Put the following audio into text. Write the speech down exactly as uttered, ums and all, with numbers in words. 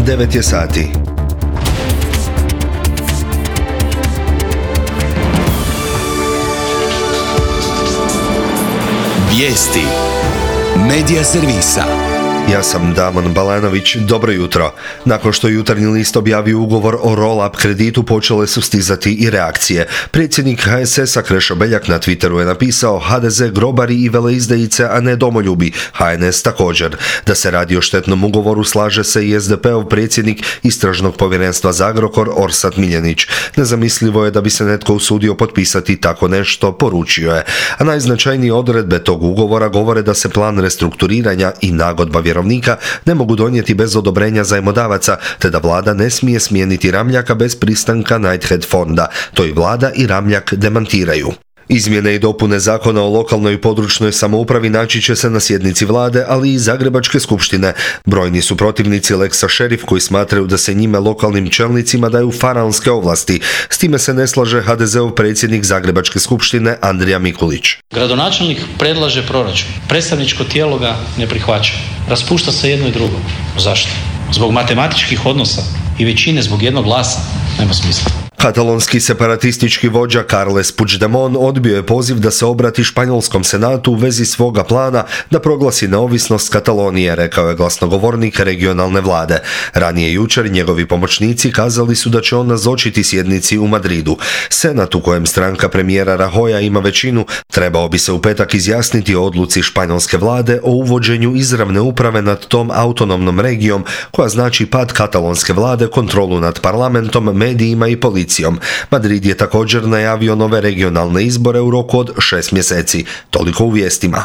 devet je sati. Vijesti Medija servisa. Ja sam Damon Balanović, dobro jutro. Nakon što je Jutarnji list objavio ugovor o roll-up kreditu, počele su stizati i reakcije. Predsjednik H S S-a Krešo Beljak na Twitteru je napisao: H D Z grobari i veleizdajice, a ne domoljubi. H N S također. Da se radi o štetnom ugovoru slaže se i S D P-ov predsjednik Istražnog povjerenstva za Agrokor Orsat Miljenić. Nezamislivo je da bi se netko usudio potpisati tako nešto, poručio je. A najznačajnije odredbe tog ugovora govore da se plan restrukturiranja i nagodba vjerovnika ne mogu donijeti bez odobrenja zajmodavaca, te da vlada ne smije smijeniti Ramljaka bez pristanka Knighthead fonda. To i vlada i Ramljak demantiraju. Izmjene i dopune zakona o lokalnoj i područnoj samoupravi naći će se na sjednici vlade, ali i Zagrebačke skupštine. Brojni su protivnici Lexa Šerif koji smatraju da se njime lokalnim čelnicima daju faraonske ovlasti. S time se ne slaže H D Z-ov predsjednik Zagrebačke skupštine Andrija Mikulić. Gradonačelnik predlaže proračun. Predstavničko tijelo ga ne prihvaća. Raspušta se jedno i drugo. Zašto? Zbog matematičkih odnosa i većine zbog jednog glasa? Nema smisla. Katalonski separatistički vođa Carles Puigdemont odbio je poziv da se obrati španjolskom senatu u vezi svoga plana da proglasi neovisnost Katalonije, rekao je glasnogovornik regionalne vlade. Ranije jučer njegovi pomoćnici kazali su da će on nazočiti sjednici u Madridu. Senat, u kojem stranka premijera Rajoya ima većinu, trebao bi se u petak izjasniti o odluci španjolske vlade o uvođenju izravne uprave nad tom autonomnom regijom, koja znači pad katalonske vlade, kontrolu nad parlamentom, medijima i policijom. Madrid je također najavio nove regionalne izbore u roku od šest mjeseci. Toliko u vijestima.